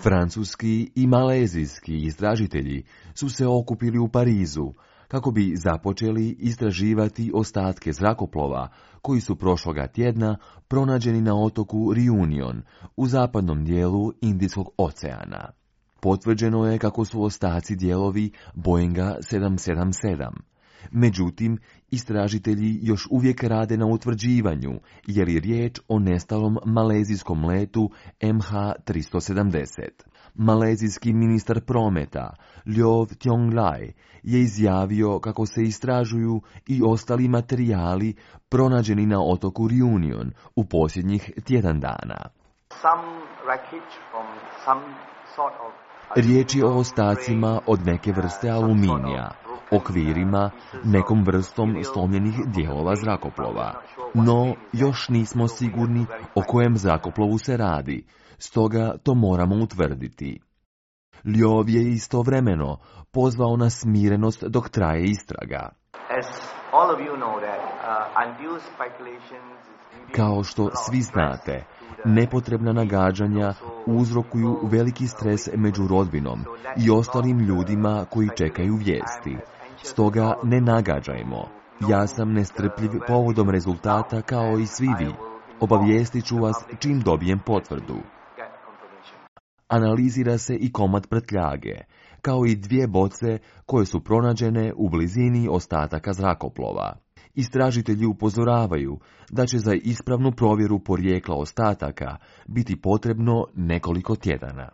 Francuski i malezijski istražitelji su se okupili u Parizu kako bi započeli istraživati ostatke zrakoplova koji su prošloga tjedna pronađeni na otoku Reunion u zapadnom dijelu Indijskog oceana. Potvrđeno je kako su ostaci dijelovi Boeinga 777. Međutim, istražitelji još uvijek rade na utvrđivanju je li riječ o nestalom malezijskom letu MH370. Malezijski ministar prometa Low Thiong Lai je izjavio kako se istražuju i ostali materijali pronađeni na otoku Reunion u posljednjih tjedan dana. Riječ je o ostacima od neke vrste aluminija, okvirima, nekom vrstom slomljenih dijelova zrakoplova. No, još nismo sigurni o kojem zrakoplovu se radi, stoga to moramo utvrditi. Ljov je istovremeno pozvao na smirenost dok traje istraga. Kao što svi znate, nepotrebna nagađanja uzrokuju veliki stres među rodbinom i ostalim ljudima koji čekaju vijesti. Stoga ne nagađajmo. Ja sam nestrpljiv povodom rezultata kao i svi vi. Obavijestit ću vas čim dobijem potvrdu. Analizira se i komad prtljage, kao i 2 boce koje su pronađene u blizini ostataka zrakoplova. Istražitelji upozoravaju da će za ispravnu provjeru porijekla ostataka biti potrebno nekoliko tjedana.